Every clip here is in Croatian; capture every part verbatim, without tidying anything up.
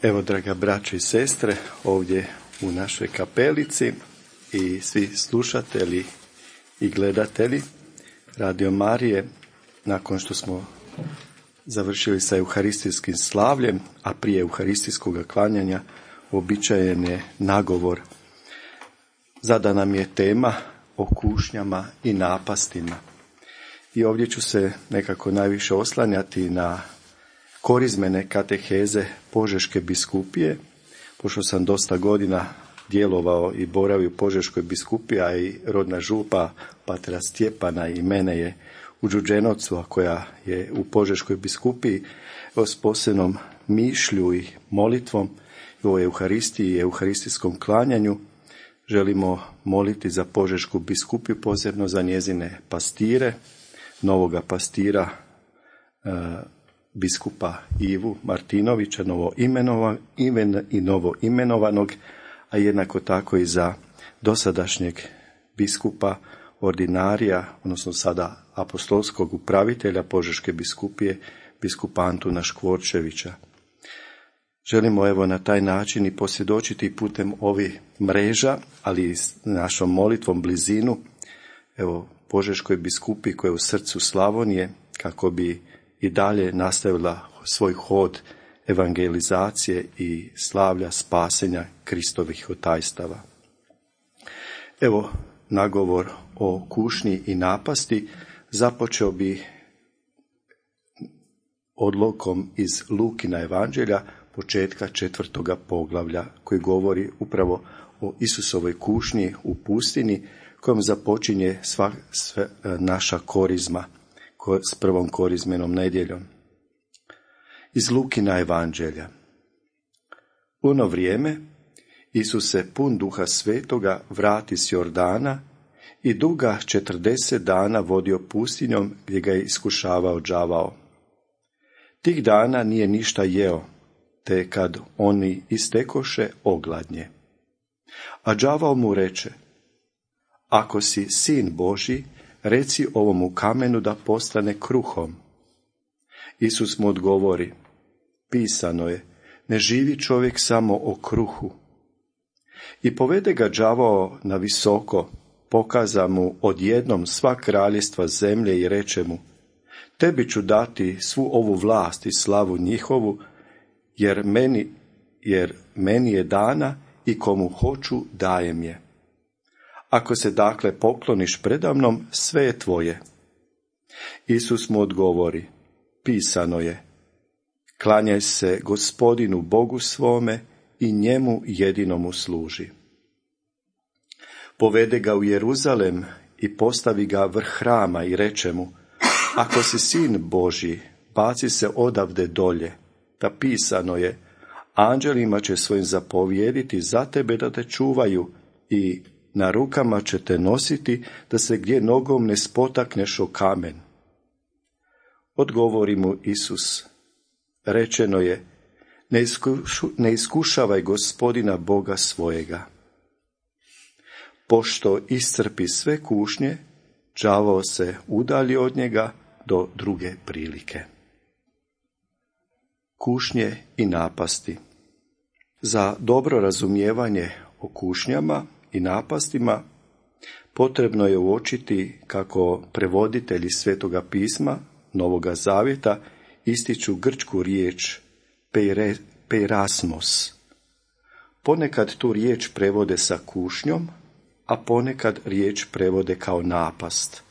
Evo, draga braćo i sestre, ovdje u našoj kapelici i svi slušatelji i gledatelji Radio Marije, nakon što smo završili sa euharistijskim slavljem, a prije euharistijskog klanjanja uobičajen je nagovor. Zadana nam je tema o kušnjama i napastima. I ovdje ću se nekako najviše oslanjati na korizmene kateheze Požeške biskupije, pošto sam dosta godina djelovao i boravio u Požeškoj biskupiji, a i rodna župa patra Stjepana i mene je u Đurđenovcu, a koja je u Požeškoj biskupiji, s posebnom mišlju i molitvom o euharistiji i euharistijskom klanjanju želimo moliti za Požešku biskupiju, posebno za njezine pastire, novoga pastira e, biskupa Ivu Martinovića, novo imenova, imen i novo imenovanog, a jednako tako i za dosadašnjeg biskupa ordinarija, odnosno sada apostolskog upravitelja Požeške biskupije, biskupa Antuna Škvorčevića. Želimo evo na taj način i posvjedočiti putem ovih mreža, ali i s našom molitvom blizinu, evo Požeškoj biskupiji koja je u srcu Slavonije, kako bi i dalje nastavila svoj hod evangelizacije i slavlja spasenja Kristovih otajstava. Evo, nagovor o kušnji i napasti započeo bi odlokom iz Lukina evanđelja, početka četvrtoga poglavlja, koji govori upravo o Isusovoj kušnji u pustini, kojom započinje sva, sve, naša korizma, s prvom korizmenom nedjeljom. Iz Lukina evanđelja. U ono vrijeme Isus se pun Duha Svetoga vrati s Jordana i duga četrdeset dana vodio pustinjom gdje ga je iskušavao đavao. Tih dana nije ništa jeo, te kad oni istekoše ogladnje. A đavao mu reče: ako si sin Božji, reci ovomu kamenu da postane kruhom. Isus mu odgovori: pisano je, ne živi čovjek samo o kruhu. I povede ga đavao na visoko, pokaza mu odjednom sva kraljestva zemlje i reče mu: tebi ću dati svu ovu vlast i slavu njihovu, jer meni, jer meni je dana i komu hoću dajem je. Ako se dakle pokloniš predamnom, sve je tvoje. Isus mu odgovori: pisano je, klanjaj se Gospodinu Bogu svome i njemu jedinomu služi. Povede ga u Jeruzalem i postavi ga vrh hrama i reče mu: ako si sin Božji, baci se odavde dolje, da pisano je, anđelima će svojim zapovijediti za tebe da te čuvaju i na rukama će te nositi da se gdje nogom ne spotakneš o kamen. Odgovori mu Isus: rečeno je, ne, iskušu, ne iskušavaj Gospodina Boga svojega. Pošto iscrpi sve kušnje, đavao se udalji od njega do druge prilike. Kušnje i napasti. Za dobro razumijevanje o kušnjama i napastima potrebno je uočiti kako prevoditelji Svetoga pisma Novoga Zavjeta ističu grčku riječ peire, peirasmos. Ponekad tu riječ prevode sa kušnjom, a ponekad riječ prevode kao napast.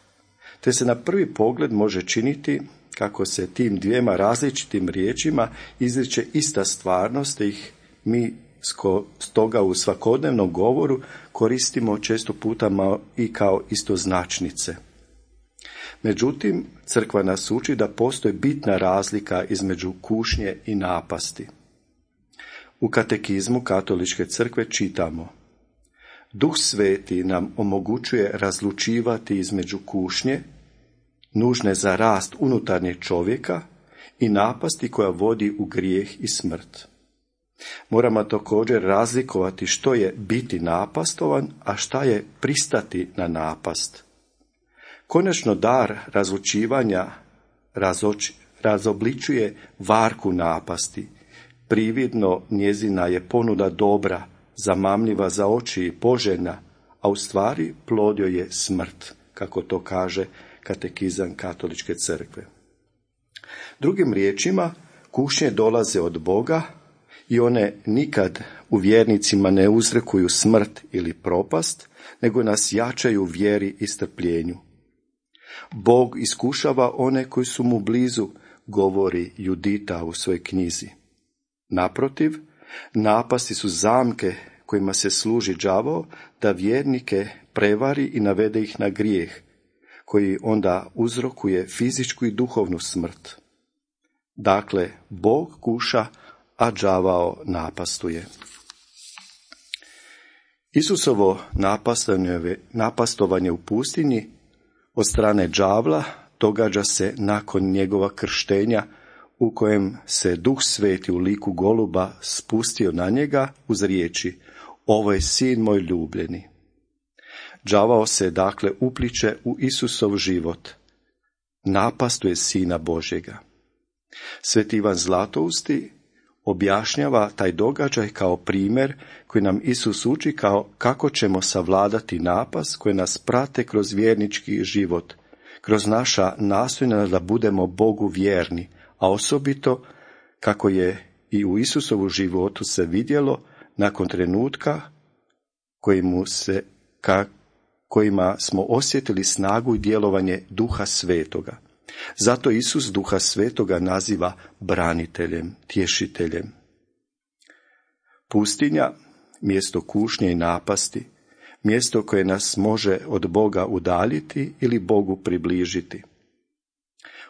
Te se na prvi pogled može činiti kako se tim dvijema različitim riječima izriče ista stvarnost, te ih mi stoga u svakodnevnom govoru koristimo često puta i kao istoznačnice. Međutim, crkva nas uči da postoji bitna razlika između kušnje i napasti. U katekizmu Katoličke crkve čitamo: Duh Sveti nam omogućuje razlučivati između kušnje, nužne za rast unutarnjeg čovjeka, i napasti koja vodi u grijeh i smrt. Moramo također razlikovati što je biti napastovan, a šta je pristati na napast. Konačno dar razlučivanja razoč, razobličuje varku napasti, Prividno njezina je ponuda dobra, zamamljiva za oči i poželjna, a u stvari plod joj je smrt, kako to kaže katekizam Katoličke crkve. Drugim riječima, kušnje dolaze od Boga i one nikad u vjernicima ne uzrekuju smrt ili propast, nego nas jačaju u vjeri i strpljenju. Bog iskušava one koji su mu blizu, govori Judita u svojoj knjizi. Naprotiv, napasti su zamke kojima se služi đavao da vjernike prevari i navede ih na grijeh, koji onda uzrokuje fizičku i duhovnu smrt. Dakle, Bog kuša, a đavao napastuje. Isusovo napastovanje u pustinji od strane đavla događa se nakon njegova krštenja, u kojem se Duh Sveti u liku goluba spustio na njega uz riječi: ovo je sin moj ljubljeni. Đavao se dakle upliče u Isusov život, napastuje Sina Božjega. Sveti Ivan Zlatousti objašnjava taj događaj kao primjer koji nam Isus uči kao kako ćemo savladati napast koje nas prate kroz vjernički život, kroz naša nastojanja da budemo Bogu vjerni, a osobito kako je i u Isusovu životu se vidjelo nakon trenutka kojima, se, ka, kojima smo osjetili snagu i djelovanje Duha Svetoga. Zato Isus Duha Svetoga naziva braniteljem, tješiteljem. Pustinja, mjesto kušnje i napasti, mjesto koje nas može od Boga udaljiti ili Bogu približiti.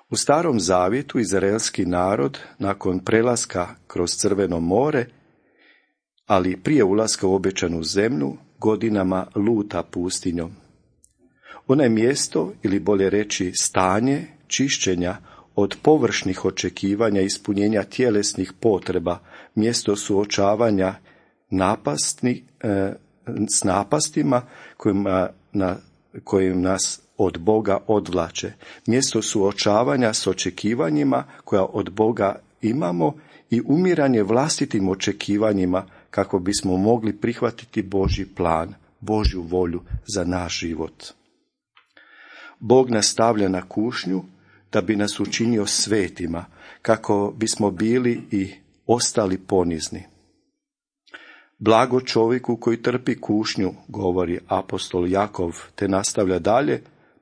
U Starom Zavjetu izraelski narod nakon prelaska kroz Crveno more, ali prije ulaska u obećanu zemlju, godinama luta pustinjom. Ono je mjesto, ili bolje reći stanje, čišćenja od površnih očekivanja i ispunjenja tjelesnih potreba, mjesto suočavanja napastni, e, s napastima kojima, na, kojim nas od Boga odvlače, mjesto suočavanja s očekivanjima koja od Boga imamo i umiranje vlastitim očekivanjima kako bismo mogli prihvatiti Božji plan, Božju volju za naš život. Bog nas stavlja na kušnju da bi nas učinio svetima, kako bismo bili i ostali ponizni. Blago čovjeku koji trpi kušnju, govori apostol Jakov, te nastavlja dalje,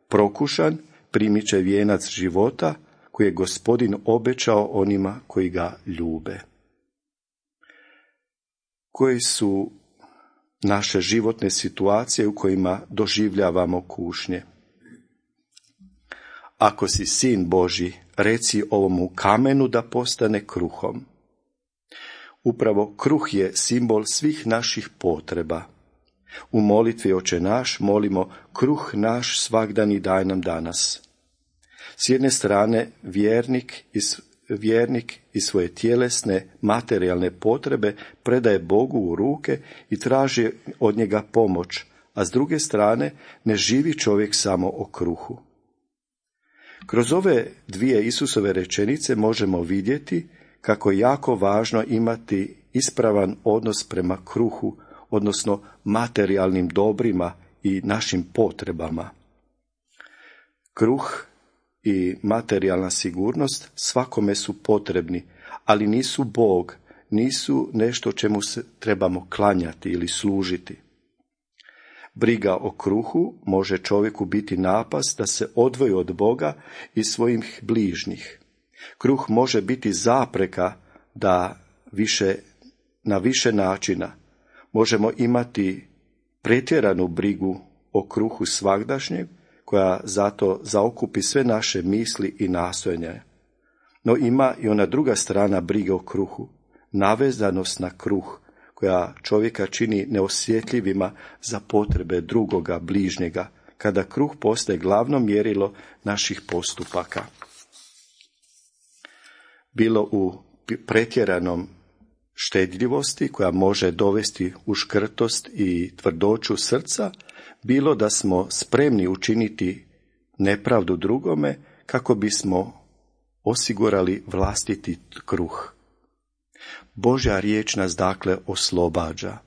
prokušan primit će vijenac života koji je Gospodin obećao onima koji ga ljube. Koji su naše životne situacije u kojima doživljavamo kušnje? Ako si sin Božji, reci ovomu kamenu da postane kruhom. Upravo kruh je simbol svih naših potreba. U molitvi Oče naš molimo kruh naš svagdani daj nam danas. S jedne strane vjernik iz, vjernik iz svoje tjelesne, materijalne potrebe predaje Bogu u ruke i traži od njega pomoć, a s druge strane ne živi čovjek samo o kruhu. Kroz ove dvije Isusove rečenice možemo vidjeti kako je jako važno imati ispravan odnos prema kruhu, odnosno materijalnim dobrima i našim potrebama. Kruh i materijalna sigurnost svakome su potrebni, ali nisu Bog, nisu nešto čemu se trebamo klanjati ili služiti. Briga o kruhu može čovjeku biti napast da se odvoji od Boga i svojih bližnjih. Kruh može biti zapreka da više, na više načina možemo imati pretjeranu brigu o kruhu svagdašnjeg, koja zato zaokupi sve naše misli i nastojanja. No ima i ona druga strana brige o kruhu, navezanost na kruh, koja čovjeka čini neosjetljivima za potrebe drugoga, bližnjega, kada kruh postaje glavno mjerilo naših postupaka. Bilo u pretjeranom štedljivosti koja može dovesti u škrtost i tvrdoću srca, bilo da smo spremni učiniti nepravdu drugome kako bismo osigurali vlastiti kruh. Božja riječ nas dakle oslobađa.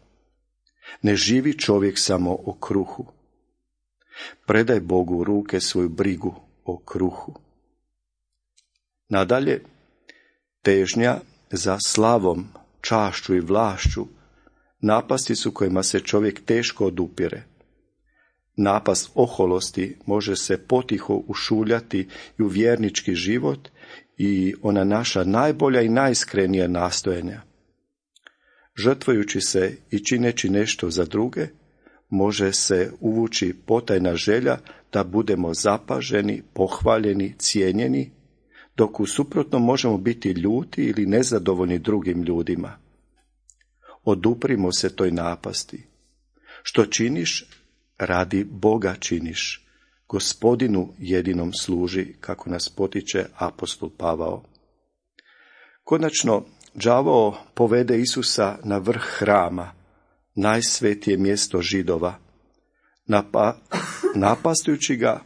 Ne živi čovjek samo o kruhu. Predaj Bogu u ruke svoju brigu o kruhu. Nadalje, težnja za slavom, čašću i vlašću napasti su kojima se čovjek teško odupire. Napast oholosti može se potiho ušuljati i u vjernički život i ona naša najbolja i najiskrenija nastojanja. Žrtvujući se i čineći nešto za druge, može se uvući potajna želja da budemo zapaženi, pohvaljeni, cijenjeni, dok u suprotnom možemo biti ljuti ili nezadovoljni drugim ljudima. Oduprimo se toj napasti. Što činiš, radi Boga činiš. Gospodinu jedinom služi, kako nas potiče apostol Pavao. Konačno, đavao povede Isusa na vrh hrama, najsvetije mjesto Židova, napa, napastujući ga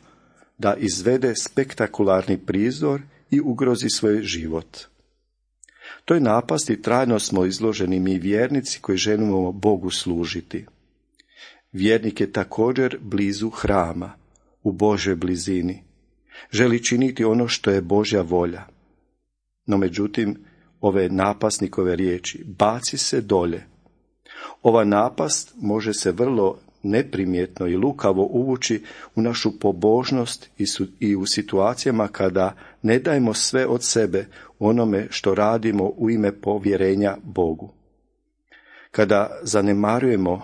da izvede spektakularni prizor i ugrozi svoj život. Toj napasti trajno smo izloženi mi vjernici koji želimo Bogu služiti. Vjernik je također blizu hrama, u Božoj blizini. Želi činiti ono što je Božja volja. No međutim, ove napasnikove riječi, baci se dolje. Ova napast može se vrlo neprimjetno i lukavo uvući u našu pobožnost i u situacijama kada ne dajemo sve od sebe onome što radimo u ime povjerenja Bogu. Kada zanemarujemo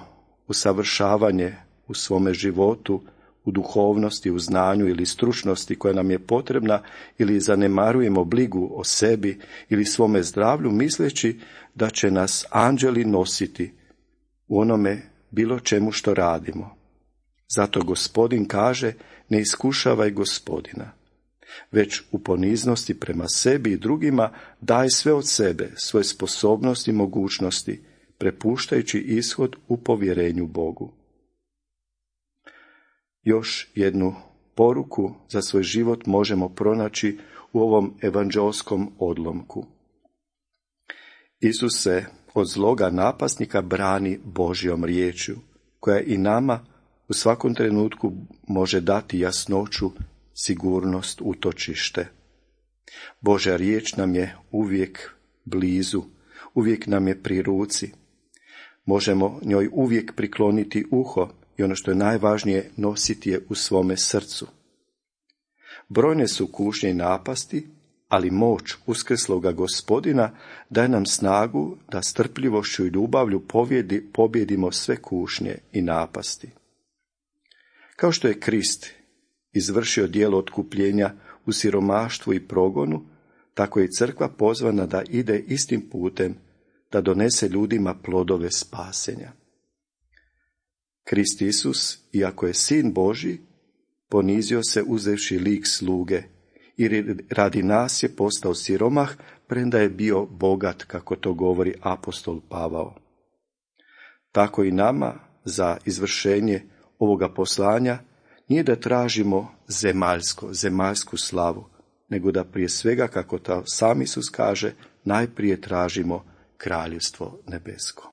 usavršavanje u svome životu, u duhovnosti, u znanju ili stručnosti koja nam je potrebna, ili zanemarujemo brigu o sebi ili svome zdravlju, misleći da će nas anđeli nositi u onome bilo čemu što radimo. Zato Gospodin kaže, ne iskušavaj Gospodina, već u poniznosti prema sebi i drugima daj sve od sebe, svoje sposobnosti i mogućnosti, prepuštajući ishod u povjerenju Bogu. Još jednu poruku za svoj život možemo pronaći u ovom evanđelskom odlomku. Isus se od zloga napasnika brani Božjom riječju, koja i nama u svakom trenutku može dati jasnoću, sigurnost, utočište. Božja riječ nam je uvijek blizu, uvijek nam je pri ruci. Možemo njoj uvijek prikloniti uho i ono što je najvažnije, nositi je u svome srcu. Brojne su kušnje i napasti, ali moć uskrsloga Gospodina daje nam snagu da strpljivošću i ljubavlju pobjedi, pobjedimo sve kušnje i napasti. Kao što je Krist izvršio djelo otkupljenja u siromaštvu i progonu, tako je i crkva pozvana da ide istim putem, da donese ljudima plodove spasenja. Krist Isus, iako je Sin Božji, ponizio se uzevši lik sluge i radi nas je postao siromah, premda je bio bogat, kako to govori apostol Pavao. Tako i nama za izvršenje ovoga poslanja nije da tražimo zemaljsko, zemaljsku slavu, nego da prije svega, kako to sam Isus kaže, najprije tražimo kraljevstvo nebesko.